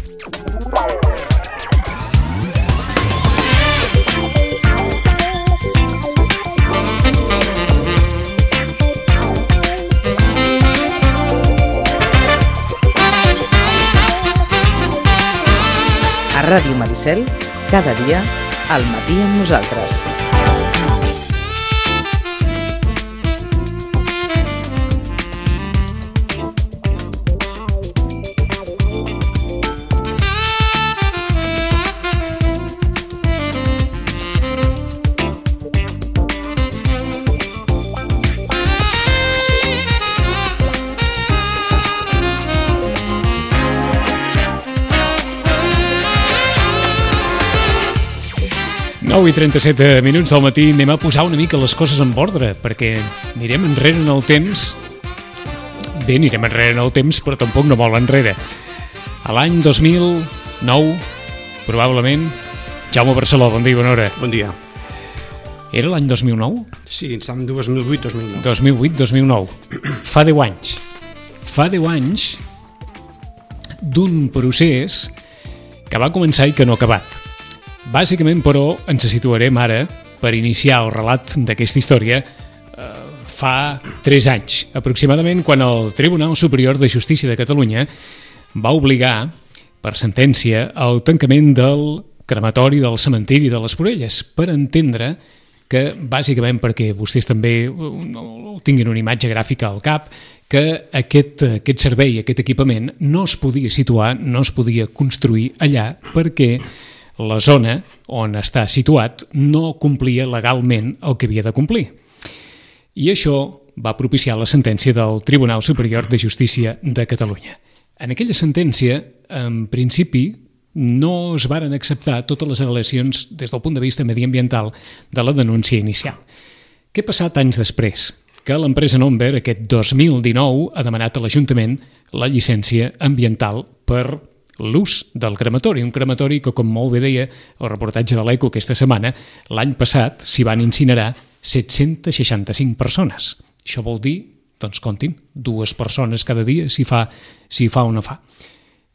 A Ràdio Maricel, cada dia, al matí amb nosaltres. I 37 minuts del matí, anem a posar una mica les coses en ordre, perquè anirem enrere en el temps. Bé, anirem enrere en el temps, però tampoc no molt enrere. A l'any 2009, probablement, Jaume Barceló, bon dia i bona hora. Bon dia. Era l'any 2009? Sí, em sembla 2008-2009. 2008-2009. Fa 10 anys. Fa 10 anys d'un procés que va començar i que no ha acabat. Bàsicament, però, ens situarem ara per iniciar el relat d'aquesta història fa 3 anys, aproximadament, quan el Tribunal Superior de Justícia de Catalunya va obligar, per sentència, el tancament del crematori del cementiri de les Porelles, per entendre que, bàsicament perquè vostès també tinguin una imatge gràfica al cap, que aquest servei, aquest equipament, no es podia situar, no es podia construir allà perquè la zona on està situat no complia legalment el que havia de complir. I això va propiciar la sentència del Tribunal Superior de Justícia de Catalunya. En aquella sentència, en principi, no es varen acceptar totes les al·legacions des del punt de vista mediambiental de la denúncia inicial. Què ha passat anys després? Que l'empresa Nomver, aquest 2019, ha demanat a l'Ajuntament la llicència ambiental per l'ús del crematori, un crematori que, com molt bé deia el reportatge de l'Eco aquesta setmana, l'any passat s'hi van incinerar 765 persones. Això vol dir, doncs comptin, 2 persones cada dia si fa o no fa.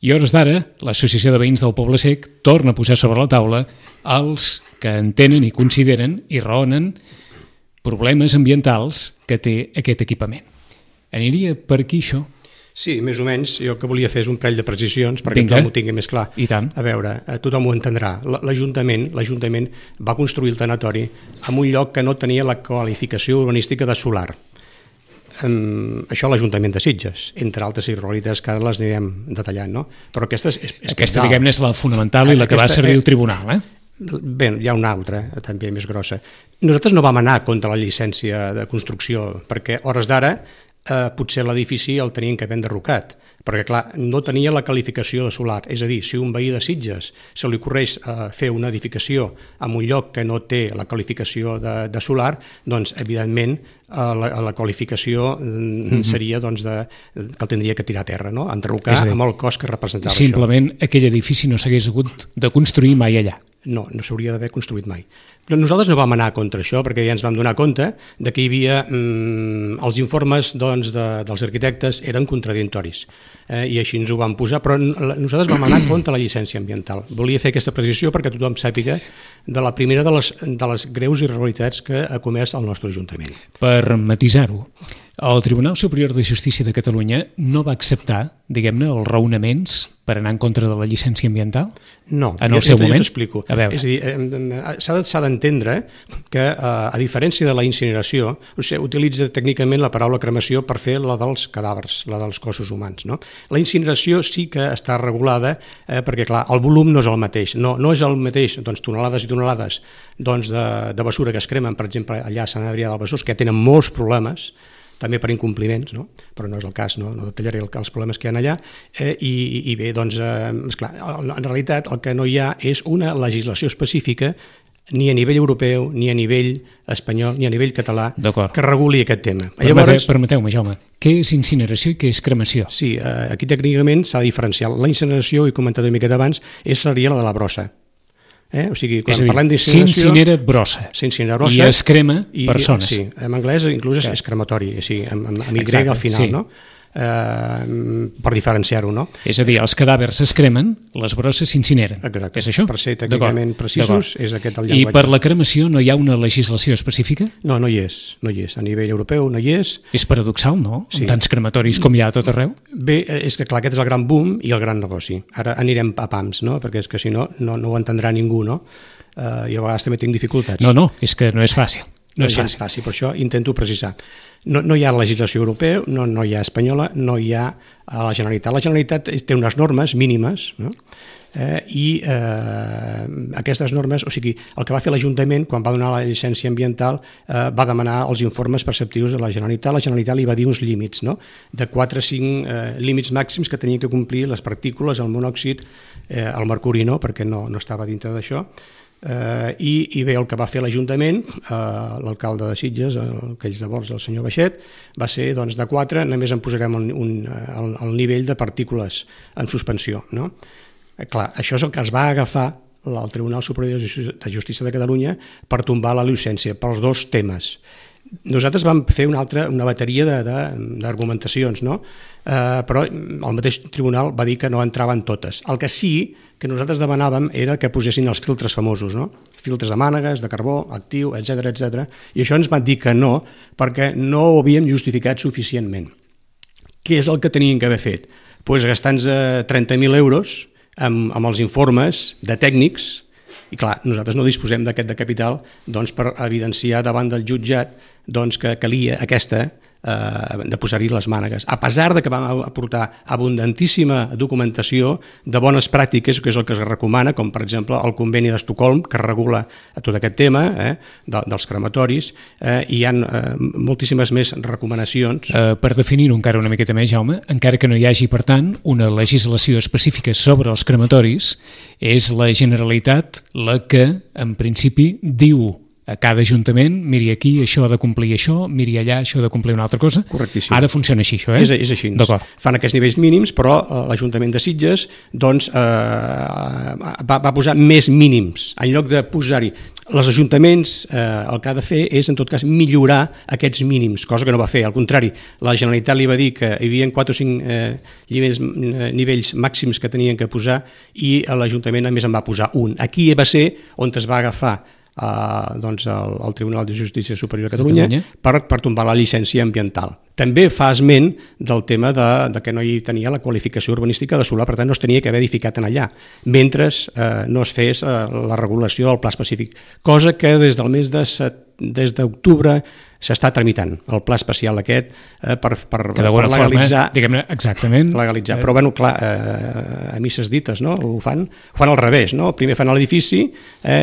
I a hores d'ara, l'Associació de Veïns del Poble Sec torna a posar sobre la taula els que entenen i consideren i raonen problemes ambientals que té aquest equipament. Aniria per aquí això? Sí, més o menys. Jo el que volia fer és un parell de precisions perquè tothom ho tingui més clar. I tant. A veure, tothom ho entendrà. L'Ajuntament va construir el tanatori en un lloc que no tenia la qualificació urbanística de solar. Això l'Ajuntament de Sitges, entre altres irregularitats que ara les anirem detallant, no? Però aquesta aquesta, diguem-ne, és la fonamental i la que va servir al tribunal, Bé, hi ha una altra, també més grossa. Nosaltres no vam anar contra la llicència de construcció, perquè a hores d'ara potser l'edifici el tenien que haver enderrocat, perquè clar, no tenia la qualificació de solar, és a dir, si un veí de Sitges se li ocorreix fer una edificació en un lloc que no té la qualificació de solar, doncs evidentment la qualificació seria doncs, que el tindria que tirar a terra, no? Enderrocar amb el cost que representava això. Simplement aquell edifici no s'hagués hagut de construir mai allà. No s'hauria d'haver construït mai. Però nosaltres no vam anar contra això perquè ja ens vam donar compte de que hi havia els informes doncs, dels arquitectes eren contradictoris i així ens ho vam posar, però nosaltres vam anar contra la llicència ambiental. Volia fer aquesta precisió perquè tothom sàpiga de la primera de les greus irregularitats que ha comès el nostre Ajuntament. Per matisar-ho, el Tribunal Superior de Justícia de Catalunya no va acceptar, diguem-ne, els raonaments per anar en contra de la llicència ambiental? No, en el seu moment? Jo t'explico. És a dir, s'ha d'entendre que, a diferència de la incineració, utilitza tècnicament la paraula cremació per fer la dels cadàvers, la dels cossos humans. No? La incineració sí que està regulada perquè, clar, el volum no és el mateix. No és el mateix doncs, tonelades i tonelades doncs, de basura que es cremen, per exemple, allà a Sant Adrià del Besòs, que tenen molts problemes, també per incompliments, no? Però no és el cas, no detallaré els problemes que hi ha allà, i bé, doncs, esclar, en realitat el que no hi ha és una legislació específica ni a nivell europeu, ni a nivell espanyol, ni a nivell català, que reguli aquest tema. Permeteu-me, Jaume, què és incineració i què és cremació? Sí, aquí tècnicament s'ha de diferenciar. La incineració, he comentat una miqueta abans, seria la de la brossa. O sigui, quan parlem d'incineració... S'incinera brossa. I es crema persones. Sí, en anglès inclús és crematori, amb Y al final, no? per diferenciar-ho, no? És a dir, els cadàvers es cremen, les brosses s'incineren. Exacte. És això? Per ser tècnicament precisos, és aquest el I llenguatge. per la cremació no hi ha una legislació específica? No hi és. A nivell europeu no hi és. És paradoxal, no? Sí. Amb tants crematoris com hi ha a tot arreu? Bé, és que clar, aquest és el gran boom i el gran negoci. Ara anirem a pams, no? Perquè és que si no ho entendrà ningú, no? I a vegades també tinc dificultats. No, és que no és fàcil. No és gens fàcil, per això intento precisar. No hi ha legislació europea, no hi ha espanyola, no hi ha a la Generalitat. La Generalitat té unes normes mínimes, no? I aquestes normes, o sigui, el que va fer l'Ajuntament quan va donar la llicència ambiental va demanar els informes perceptius a la Generalitat. La Generalitat li va dir uns límits, no? De 4 a 5 límits màxims que tenien que complir les partícules, el monòxid, el mercuri no, perquè no estava dintre d'això. I bé, el que va fer l'Ajuntament, l'alcalde de Sitges, aquells de Borges, el senyor Baixet, va ser doncs, de 4, només en posarem el nivell de partícules en suspensió. No? Clar, això és el que es va agafar el Tribunal Superior de Justícia de Catalunya per tombar la llicència, pels dos temes. Nosaltres vam fer una bateria d'argumentacions, no? Però el mateix tribunal va dir que no entraven totes. El que sí que nosaltres demanàvem era que posessin els filtres famosos, no? Filtres de mànegues, de carbó, actiu, etc. I això ens van dir que no, perquè no ho havíem justificat suficientment. Què és el que tenien que haver fet? Doncs gastant-nos 30.000 euros amb els informes de tècnics. I clar, nosaltres no disposem d'aquest de capital per evidenciar davant del jutjat que calia de posar-hi les mànegues. A pesar de que vam aportar abundantíssima documentació de bones pràctiques, que és el que es recomana, com per exemple el conveni d'Estocolm, que regula tot aquest tema dels crematoris, i hi ha moltíssimes més recomanacions. Per definir-ho encara una miqueta més, Jaume, encara que no hi hagi, per tant, una legislació específica sobre els crematoris, és la Generalitat la que, en principi, diu a cada ajuntament, miri aquí, això ha de complir això, miri allà, això ha de complir una altra cosa. Correctíssim. Ara funciona així, això, És així. D'acord. Fan aquests nivells mínims, però l'Ajuntament de Sitges va posar més mínims. En lloc de posar-hi els ajuntaments, el que ha de fer és, en tot cas, millorar aquests mínims, cosa que no va fer. Al contrari, la Generalitat li va dir que hi havia 4 o 5 nivells màxims que tenien que posar i l'Ajuntament, a més, en va posar un. Aquí va ser on es va agafar el Tribunal de Justícia Superior de Catalunya per tombar la llicència ambiental. També fa esment del tema de que no hi tenia la qualificació urbanística de solar, per tant no es tenia que haver edificat en allà, mentre no es fes la regulació del pla específic, cosa que des del mes d'octubre s'està tramitant, el pla especial aquest per legalitzar. Diguem-ne, exactament. Legalitzar. Però, bueno, clar, a misses dites, no? Ho fan al revés, no? Primer fan l'edifici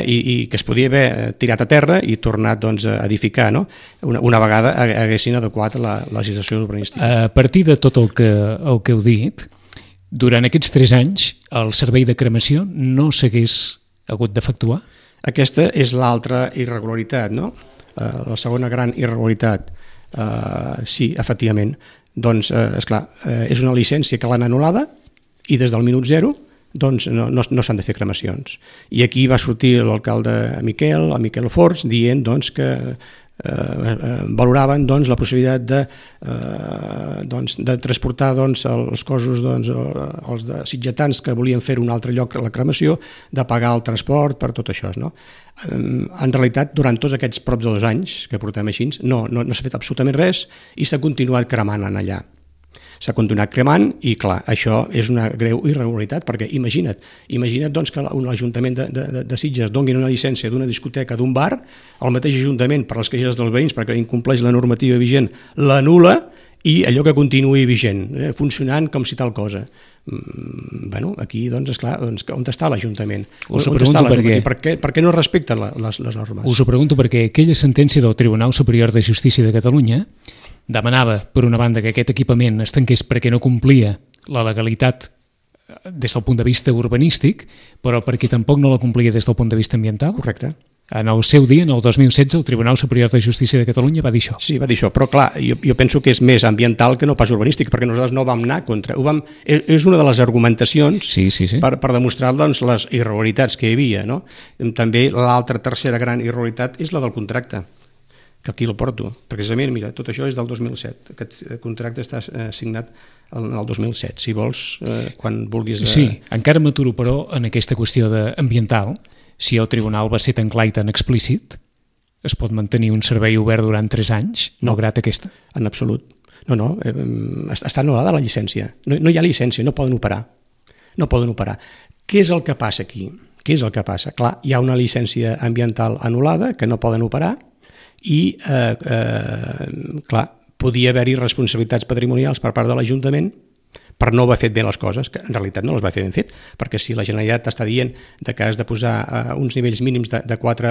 i que es podia haver tirat a terra i tornat a edificar, no? Una vegada haguessin adequat la legislació urbanística. A partir de tot el que heu dit, durant aquests 3 anys el servei de cremació no s'hagués hagut d'efectuar? Aquesta és l'altra irregularitat, no? La segona gran irregularitat, sí, efectivament, doncs, esclar, és una llicència que l'han anul·lada i des del minut 0 doncs no s'han de fer cremacions. I aquí va sortir l'alcalde Miquel Forns, dient doncs, que valoraven la possibilitat de transportar els cossos, els de sitgetans que volien fer un altre lloc a la cremació, de pagar el transport per tot això, no? En realitat, durant tots aquests prop de 2 anys que portem així, no s'ha fet absolutament res i s'ha continuat cremant en allà. S'ha continuat cremant i, clar, això és una greu irregularitat, perquè imagina't que l'Ajuntament de Sitges doni una llicència d'una discoteca, d'un bar, el mateix Ajuntament, per les queixes dels veïns, perquè incompleix la normativa vigent, l'anul·la i allò que continuï vigent, funcionant com si tal cosa. Bueno, aquí, doncs, esclar, on està l'Ajuntament? Us ho pregunto per què no respecten les normes? Us ho pregunto perquè aquella sentència del Tribunal Superior de Justícia de Catalunya demanava, per una banda, que aquest equipament es tanqués perquè no complia la legalitat des del punt de vista urbanístic, però perquè tampoc no la complia des del punt de vista ambiental. Correcte. En el seu dia, en el 2016, el Tribunal Superior de Justícia de Catalunya va dir això. Sí, va dir això, però clar, jo penso que és més ambiental que no pas urbanístic, perquè nosaltres no vam anar contra... És una de les argumentacions per demostrar les irregularitats que hi havia, no? També l'altra tercera gran irregularitat és la del contracte, que aquí el porto. Precisament, mira, tot això és del 2007. Aquest contracte està signat en el 2007. Si vols, quan vulguis... Sí, encara m'aturo, però, en aquesta qüestió ambiental. Si el tribunal va ser tan clar i tan explícit, es pot mantenir un servei obert durant 3 anys, malgrat aquesta? En absolut. No, està anul·lada la llicència. No hi ha llicència, no poden operar. No poden operar. Què és el que passa aquí? Què és el que passa? Clar, hi ha una llicència ambiental anul·lada que no poden operar i, clar, podia haver-hi responsabilitats patrimonials per part de l'Ajuntament per no haver fet bé les coses, que en realitat no les va fer ben fet, perquè si la Generalitat està dient que has de posar uns nivells mínims de 4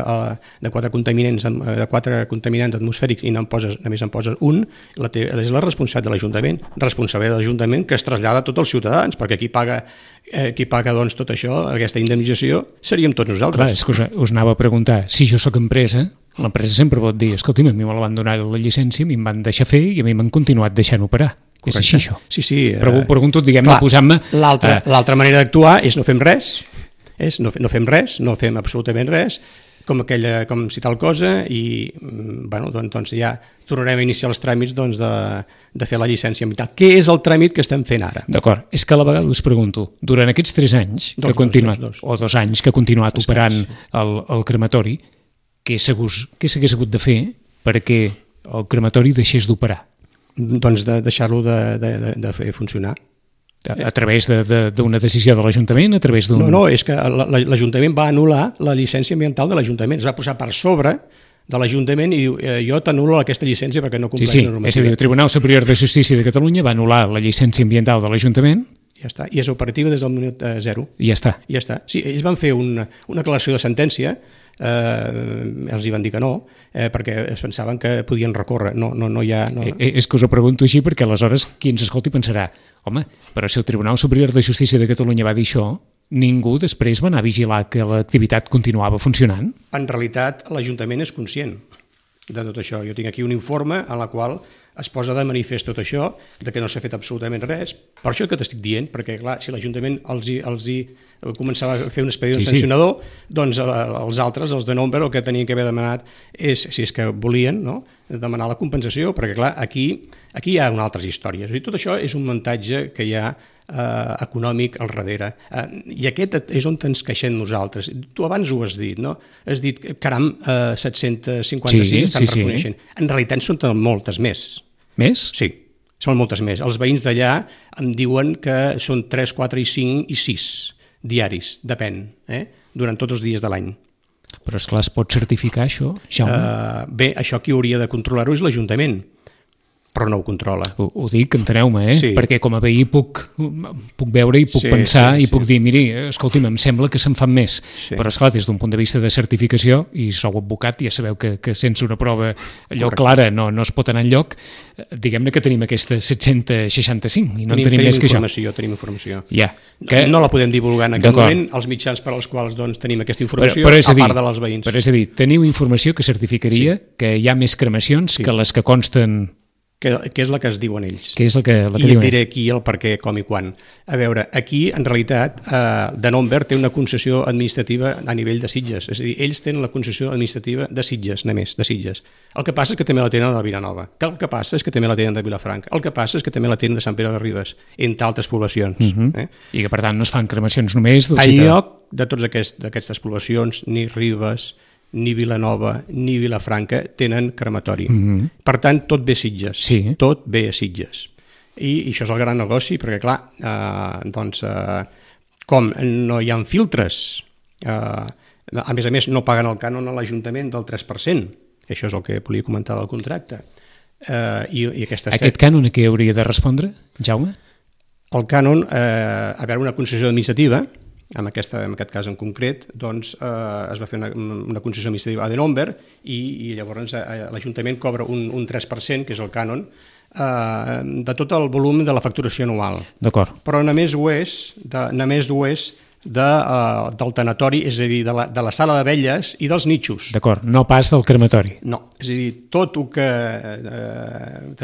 contaminants atmosfèrics i només en poses un, és la responsabilitat de l'Ajuntament, responsabilitat de l'Ajuntament que es trasllada a tots els ciutadans, perquè qui paga doncs, tot això, aquesta indemnització, seríem tots nosaltres. Clar, és que us anava a preguntar, si jo sóc empresa, l'empresa sempre pot dir, escolti'm, a mi me la van donar la llicència, a mi em van deixar fer i a mi m'han continuat deixant operar. Correcte. És així, això? Sí. Pregunto, diguem-ne, posant-me... L'altra manera d'actuar és no fem res, no fem absolutament res, com si tal cosa, i doncs ja tornarem a iniciar els tràmits de fer la llicència ambiental. Què és el tràmit que estem fent ara? D'acord, és que a la vegada us pregunto, durant aquests 3 anys que ha continuat, o 2 anys que ha continuat operant el crematori, què s'hagués hagut de fer perquè el crematori deixés d'operar? Doncs de deixar-lo de fer funcionar. A través d'una decisió de l'Ajuntament? A través d'un... No, és que l'Ajuntament va anul·lar la llicència ambiental de l'Ajuntament. Es va posar per sobre de l'Ajuntament i diu, jo t'anulo aquesta llicència perquè no compleix la normativa. És a dir, el Tribunal Superior de Justícia de Catalunya va anul·lar la llicència ambiental de l'Ajuntament. Ja està, i és operativa des del minut 0. I ja està. Sí, ells van fer una declaració de sentència, els hi van dir que no, perquè es pensaven que podien recórrer. No hi ha... És que us ho pregunto així perquè aleshores qui ens escolti pensarà, home, però si el Tribunal Superior de Justícia de Catalunya va dir això, ningú després va anar a vigilar que l'activitat continuava funcionant? En realitat, l'Ajuntament és conscient de tot això. Jo tinc aquí un informe en la qual es posa de manifest tot això, de que no s'ha fet absolutament res. Per això que t'estic dient, perquè clar, si l'Ajuntament els començava a fer un expedient sancionador, doncs els altres, els de Nombre, el que tenien que haver demanat és, si és que volien, no?, demanar la compensació, perquè clar, aquí hi ha altres històries. I tot això és un muntatge que hi ha econòmic al darrere. I aquest és on ens queixem nosaltres. Tu abans ho has dit, no? Has dit, caram, 756 estan reconeixent. En realitat són moltes més. Més? Sí, són moltes més. Els veïns d'allà em diuen que són 3, 4 i 5 i 6 diaris, depèn, durant tots els dies de l'any. Però esclar, es pot certificar això, Jaume? Bé, això qui hauria de controlar-ho és l'Ajuntament, però no ho controla. Ho dic, enteneu-me, sí. Perquè com a veí puc veure i puc pensar i puc dir, miri, escolti'm, em sembla que se'n fan més. Sí. Però, esclar, des d'un punt de vista de certificació, i sou advocat, ja sabeu que sense una prova allò clara no es pot anar enlloc, diguem-ne que tenim aquesta 765 i no en tenim més que això. Tenim informació. Ja. No la podem divulgar en aquest moment, els mitjans per als quals tenim aquesta informació, a part de les veïns. Però és a dir, teniu informació que certificaria que hi ha més cremacions que les que consten... Que és la que es diuen ells. Que és la que I et diré aquí el per què, com i quan. A veure, aquí, en realitat, De Nombre té una concessió administrativa a nivell de Sitges. És a dir, ells tenen la concessió administrativa de Sitges, només, de Sitges. El que passa és que també la tenen de Vilanova. El que passa és que també la tenen de Vilafranca. El que passa és que també la tenen de Sant Pere de Ribes, entre altres poblacions. I que, per tant, no es fan cremacions només... En lloc de totes aquestes poblacions, ni Ribes, ni Vilanova, ni Vilafranca tenen crematori. Per tant, tot ve a Sitges. Sí. Tot ve a Sitges. I això és el gran negoci, perquè, clar, com no hi ha filtres, a més, no paguen el cànon a l'Ajuntament del 3%. Això és el que volia comentar del contracte. Aquest cànon a què hauria de respondre, Jaume? El cànon, a veure, una concessió administrativa, en aquest cas en concret, doncs es va fer una concessió administrativa a De Nombre i llavors l'Ajuntament cobra un 3%, que és el cànon, de tot el volum de la facturació anual. D'acord. Però només ho és del tanatori, és a dir, de la sala d'abelles i dels nitxos. D'acord, no pas del crematori. No, és a dir, tot el que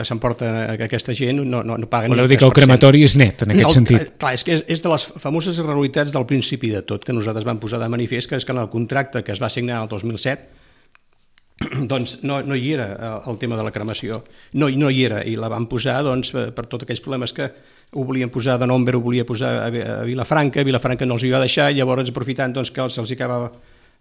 s'emporta aquesta gent no paguen... Voleu dir que el crematori és net, en aquest sentit? Clar, és que és de les famoses irregularitats del principi de tot, que nosaltres vam posar de manifest, que és que en el contracte que es va signar el 2007, doncs no hi era el tema de la cremació, no hi era, i la van posar doncs, per tots aquells problemes que ho volien posar de Nombre, ho volia posar a Vilafranca no els hi va deixar, i llavors aprofitant doncs, que se'ls acabava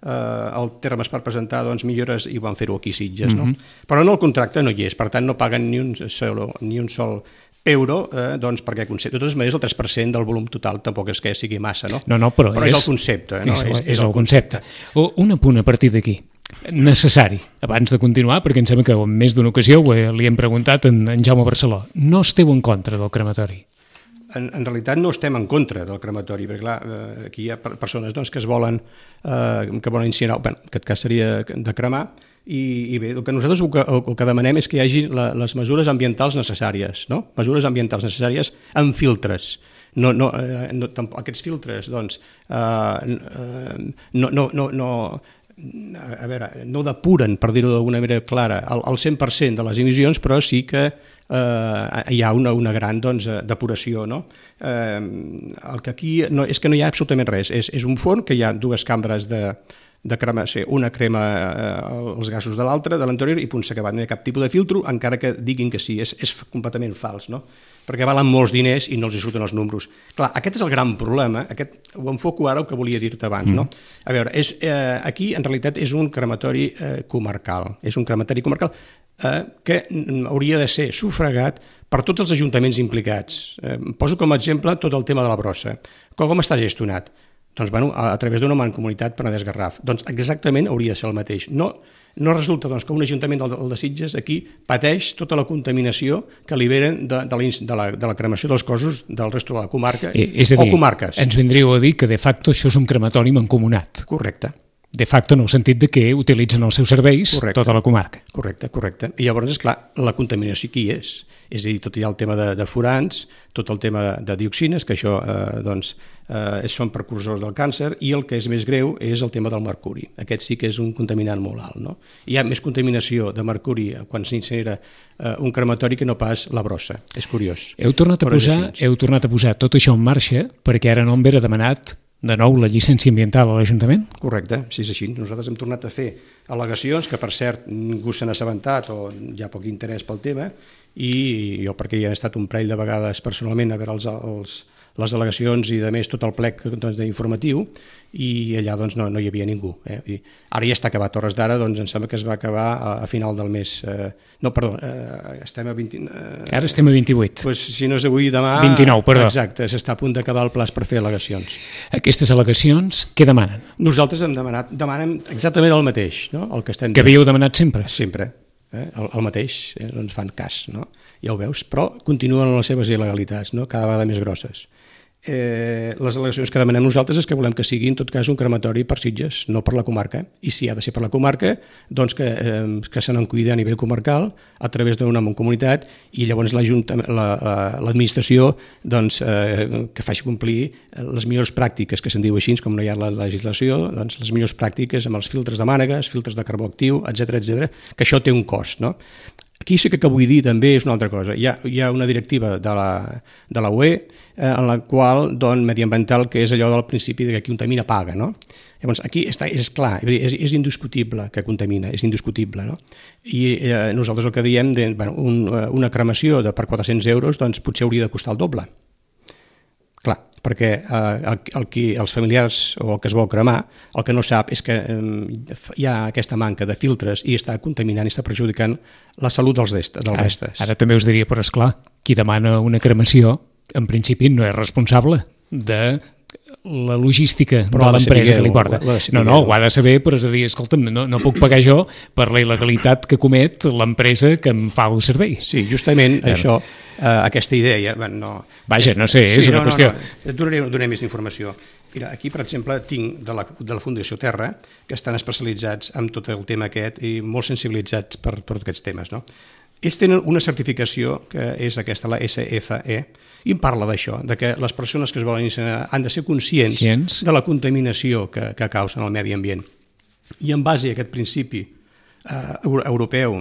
el termes per presentar doncs, millores, i van fer-ho aquí a Sitges. No? Però en el contracte no hi és, per tant no paguen ni un sol euro, doncs, perquè concepte. De totes maneres, el 3% del volum total tampoc és que sigui massa, no? No, però és el concepte. No? És el concepte. Un apunt a partir d'aquí, necessari, abans de continuar, perquè em sembla que en més d'una ocasió li hem preguntat en Jaume Barceló. No esteu en contra del crematori? En realitat no estem en contra del crematori, perquè clar, aquí hi ha persones doncs, que volen incinerar, en aquest cas seria de cremar, i bé, el que nosaltres el que demanem és que hi hagi les mesures ambientals necessàries, no? Mesures ambientals necessàries amb filtres. Aquests filtres, doncs, no depuren, per dir-ho d'alguna manera clara, el 100% de les emissions, però sí que hi ha una gran depuració. No? El que aquí és que no hi ha absolutament res. És un forn que hi ha dues cambres de cremació, una crema els gasos de l'altra, de l'anterior, i punt, s'ha acabat. No hi ha cap tipus de filtro, encara que diguin que sí, és completament fals, no? Perquè valen molts diners i no els hi surten els números. Clar, aquest és el gran problema, ho enfoco ara el que volia dir-te abans, no? A veure, aquí en realitat és un crematori comarcal, que hauria de ser sufragat per tots els ajuntaments implicats. Poso com a exemple tot el tema de la brossa. Com està gestionat? Doncs, a través d'una mancomunitat Penedès-Garraf. Doncs exactament hauria de ser el mateix. No resulta que un ajuntament de Sitges aquí pateix tota la contaminació que liberen de la cremació dels cossos del resto de la comarca o comarques. Ens vindríeu a dir que de facto això és un crematori mancomunat. Correcte. De facto en el sentit de que utilitzen els seus serveis tota la comarca. Correcte. I llavors, esclar, la contaminació aquí és. És a dir, tot hi ha el tema de furans, tot el tema de dioxines, que això són precursors del càncer, i el que és més greu és el tema del mercuri. Aquest sí que és un contaminant molt alt. No? Hi ha més contaminació de mercuri quan s'incinera un crematori que no pas la brossa. És curiós. Heu tornat a posar tot això en marxa perquè ara Nombre ha demanat de nou la llicència ambiental a l'Ajuntament? Correcte, sí, és així. Nosaltres hem tornat a fer al·legacions que, per cert, ningú se n'ha assabentat o hi ha poc interès pel tema, i jo, perquè hi he estat un parell de vegades personalment a veure les al·legacions i, a més, tot el plec informatiu, i allà doncs, no hi havia ningú. I ara ja està acabat, hores d'ara, doncs em sembla que es va acabar a final del mes. Estem a 20... Ara estem a 28. Doncs si no és avui, demà... 29, perdó. Exacte, s'està a punt d'acabar el plaç per fer al·legacions. Aquestes al·legacions, què demanen? Nosaltres demanem exactament el mateix, no? El que estem... Que havíeu demanat sempre? Sempre. El mateix, no ens fan cas, no? Ja ho veus, però continuen les seves il·legalitats, no? Cada vegada més grosses. Les al·legacions que demanem nosaltres és que volem que sigui en tot cas un crematori per Sitges, no per la comarca, i si ha de ser per la comarca, doncs que se n'en cuida a nivell comarcal a través d'una mancomunitat, i llavors l'administració doncs, que faci complir les millors pràctiques, que se'n diu així, com no hi ha la legislació, doncs les millors pràctiques amb els filtres de mànegues, filtres de carbó actiu, etc, que això té un cost, no? Aquí sí que vull dir també és una altra cosa. Hi ha una directiva de la UE en la qual, doncs, mediambiental, que és allò del principi que qui contamina paga, no? Llavors, aquí és clar, és indiscutible que contamina, és indiscutible, no? I nosaltres el que diem, una cremació per 400 euros, doncs potser hauria de costar el doble. Clar, perquè els familiars o el que es vol cremar, el que no sap és que hi ha aquesta manca de filtres i està contaminant i està perjudicant la salut dels restes. Ara també us diria, però esclar, qui demana una cremació, en principi no és responsable de la logística de l'empresa que li porta. No, ho ha de saber, però és a dir, escolta'm, no puc pagar jo per la il·legalitat que comet l'empresa que em fa el servei. Sí, justament això, aquesta idea... Vaja, no sé, és una qüestió... Et donaré més informació. Mira, aquí, per exemple, tinc de la Fundació Terra, que estan especialitzats en tot el tema aquest i molt sensibilitzats per tots aquests temes, no? Ells tenen una certificació que és aquesta, la SFE, i em parla d'això, de que les persones que es volen incinerar han de ser conscients de la contaminació que causen al medi ambient. I en base a aquest principi europeu,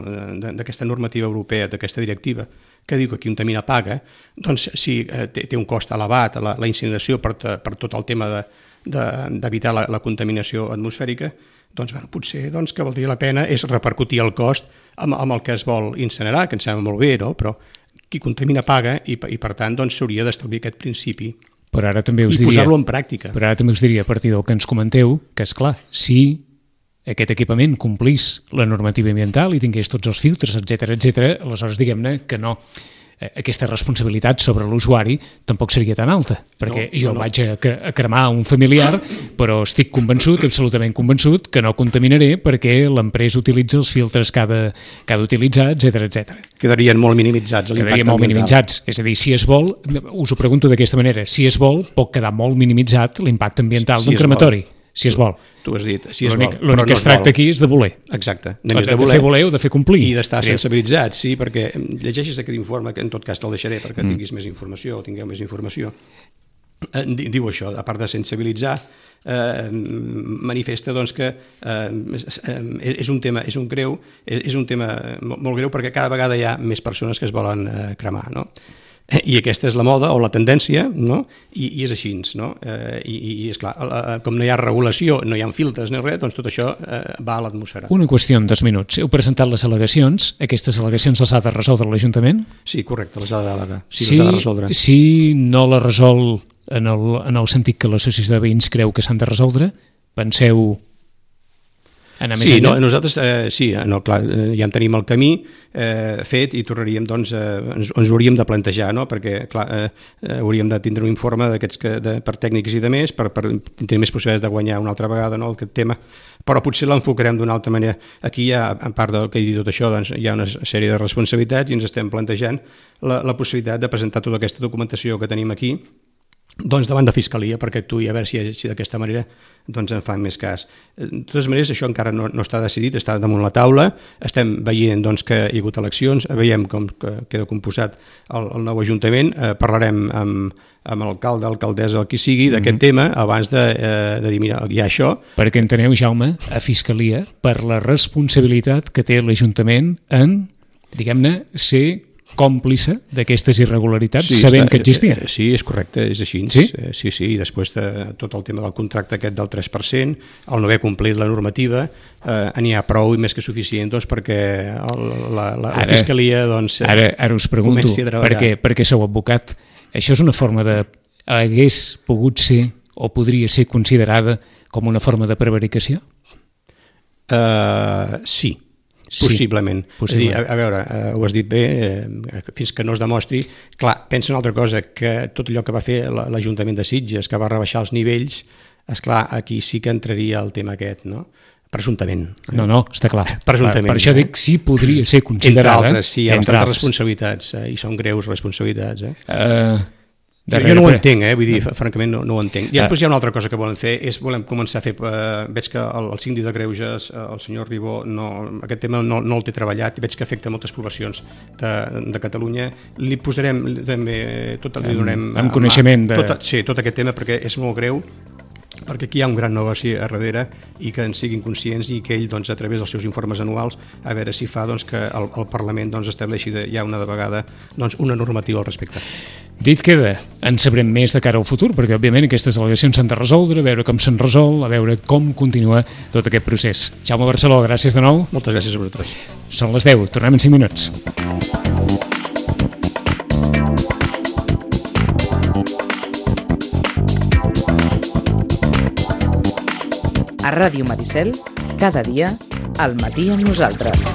d'aquesta normativa europea, d'aquesta directiva, que diu que qui contamina paga, doncs si té un cost elevat la incineració per tot el tema d'evitar la contaminació atmosfèrica, doncs potser que valdria la pena és repercutir el cost amb el que es vol incinerar, que em sembla molt bé, no? Però qui contamina paga i per tant s'hauria d'establir aquest principi però ara també us i posar-lo en pràctica. Però ara també us diria, a partir del que ens comenteu, que és clar, si aquest equipament complís la normativa ambiental i tingués tots els filtres, etc, aleshores diguem-ne que no, aquesta responsabilitat sobre l'usuari tampoc seria tan alta, perquè jo vaig a cremar un familiar, però estic convençut, absolutament convençut, que no contaminaré perquè l'empresa utilitza els filtres que ha d'utilitzar, etc. Quedarien molt minimitzats l'impacte ambiental. Molt minimitzats, és a dir, si es vol, us ho pregunto d'aquesta manera, si es vol, pot quedar molt minimitzat l'impacte ambiental d'un crematori. Si es vol. Tu has dit, si es vol. L'únic que es tracta aquí és de voler. Exacte. De fer voler o de fer complir. I d'estar sensibilitzat, sí, perquè llegeixis aquest informe, que en tot cas te'l deixaré perquè tinguis més informació o tingueu més informació. Diu això, a part de sensibilitzar, manifesta que és un tema molt greu perquè cada vegada hi ha més persones que es volen cremar, no? I aquesta és la moda o la tendència, no? I és així, no? I és clar, com no hi ha regulació, no hi ha filtres ni res, doncs tot això va a l'atmosfera. Una qüestió en 2 minuts. Heu presentat les al·legacions. Aquestes al·legacions les ha de resoldre l'Ajuntament? Sí, correcte, les ha de delegar. Sí, les ha de resoldre. Si no la resol en el sentit que l'associació de veïns creu que s'han de resoldre, penseu anar més enllà? Nosaltres clar, ja en tenim el camí fet i tornaríem, ens hauríem de plantejar, no? Perquè clar, hauríem de tindre un informe d'aquests per tècnics i de més, per tenir més possibilitats de guanyar una altra vegada, no, aquest tema, però potser l'enfocarem d'una altra manera. Aquí ja, a part del que he dit tot això, hi ha una sèrie de responsabilitats i ens estem plantejant la possibilitat de presentar tota aquesta documentació que tenim aquí davant de Fiscalia perquè actuï, a veure si d'aquesta manera en fan més cas. De totes maneres, això encara no està decidit, està damunt la taula, estem veient que hi ha hagut eleccions, veiem com queda composat el nou Ajuntament, parlarem amb l'alcalde, alcaldessa, el qui sigui, d'aquest tema, abans de dir, mira, hi ha això. Perquè enteneu, Jaume, a Fiscalia, per la responsabilitat que té l'Ajuntament en, diguem-ne, ser còmplice d'aquestes irregularitats, sabent que existien. Sí, és correcte, és així. Sí? Sí, i després tot el tema del contracte aquest del 3%, el no haver complit la normativa, n'hi ha prou i més que suficient perquè la Fiscalia ara us pregunto, comenci a treballar. perquè sou advocat, això és una forma de... hagués pogut ser o podria ser considerada com una forma de prevaricació? Sí. Possiblement. És a dir, a veure, ho has dit bé, fins que no es demostri. Clar, pensa una altra cosa, que tot allò que va fer l'Ajuntament de Sitges, que va rebaixar els nivells, esclar, aquí sí que entraria el tema aquest, no? Presumptament. No, està clar. Presumptament. Per això dic, sí podria ser considerada. Entre altres, sí, hi ha bastantes responsabilitats, i són greus responsabilitats. Jo no ho entenc, vull dir, francament no ho entenc. I després hi ha una altra cosa que volem fer, volem començar a fer, veig que el síndic de Greuges, el senyor Ribó, aquest tema no el té treballat, i veig que afecta moltes poblacions de Catalunya. Li posarem també, li donarem... Amb coneixement de... Sí, tot aquest tema, perquè és molt greu, perquè aquí hi ha un gran negoci a darrere i que en siguin conscients i que ell, a través dels seus informes anuals, a veure si fa que el Parlament estableixi ja una vegada una normativa al respecte. Dit queda, en sabrem més de cara al futur, perquè òbviament aquestes al·legacions s'han de resoldre, a veure com se'n resol, a veure com continua tot aquest procés. Jaume Barceló, gràcies de nou. Moltes gràcies a vosaltres. Són les 10, tornem en 5 minuts. A Ràdio Maricel, cada dia, al matí amb nosaltres.